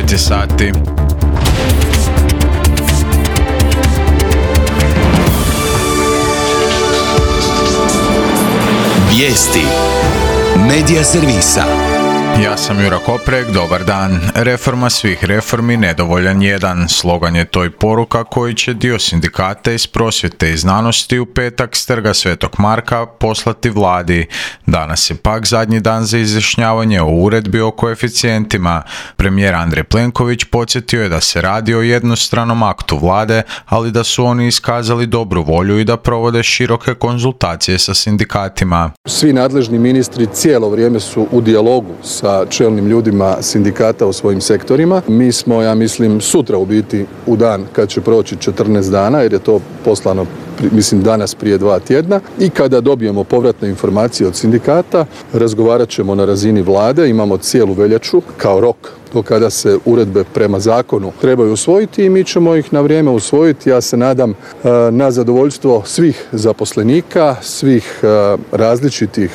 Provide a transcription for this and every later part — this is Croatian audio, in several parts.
9 je sati. Vijesti Medija servisa. Ja sam Jura Koprek, dobar dan. Reforma svih reformi, nedovoljan jedan. Slogan je to i poruka koji će dio sindikata iz prosvjete i znanosti u petak s Trga Svetog Marka poslati vladi. Danas je pak zadnji dan za izjašnjavanje o uredbi o koeficijentima. Premijer Andrej Plenković podsjetio je da se radi o jednostranom aktu vlade, ali da su oni iskazali dobru volju i da provode široke konzultacije sa sindikatima. Svi nadležni ministri cijelo vrijeme su u dijalogu sa čelnim ljudima sindikata u svojim sektorima. Mi smo, ja mislim, sutra u biti u dan kad će proći 14 dana, jer je to poslano danas prije 2 tjedna, i kada dobijemo povratne informacije od sindikata, razgovarat ćemo na razini vlade. Imamo cijelu veljaču kao rok do kada se uredbe prema zakonu trebaju usvojiti i mi ćemo ih na vrijeme usvojiti. Ja se nadam na zadovoljstvo svih zaposlenika, svih različitih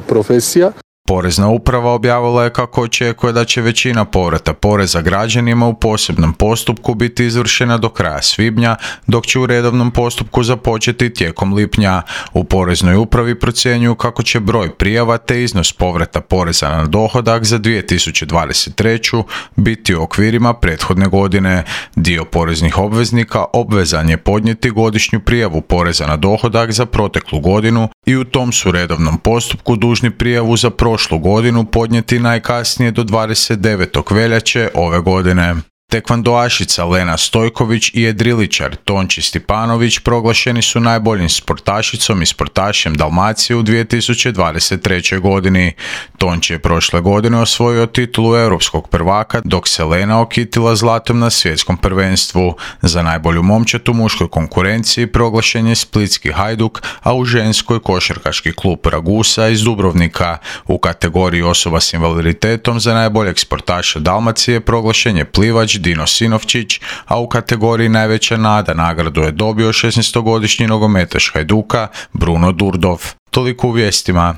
profesija. Porezna uprava objavila je kako očekuje da će većina povrata poreza građanima u posebnom postupku biti izvršena do kraja svibnja, dok će u redovnom postupku započeti tijekom lipnja. U Poreznoj upravi procjenjuju kako će broj prijava te iznos povrata poreza na dohodak za 2023. biti u okvirima prethodne godine. Dio poreznih obveznika obvezan je podnijeti godišnju prijavu poreza na dohodak za proteklu godinu i u tom su redovnom postupku dužni prijavu za prošlu godinu podnijeti najkasnije do 29. veljače ove godine. Tekvandoašica Lena Stojković i jedriličar Tonči Stipanović proglašeni su najboljim sportašicom i sportašem Dalmacije u 2023. godini. Tonči je prošle godine osvojio titulu europskog prvaka, dok se Lena okitila zlatom na svjetskom prvenstvu. Za najbolju momčad u muškoj konkurenciji proglašen je splitski Hajduk, a u ženskoj košarkaški klub Ragusa iz Dubrovnika. U kategoriji osoba s invaliditetom za najboljeg sportaša Dalmacije proglašen je plivač Dino Sinovčić, a u kategoriji najveća nada nagradu je dobio 16-godišnji nogometaš Hajduka Bruno Durdov. Toliko u vijestima.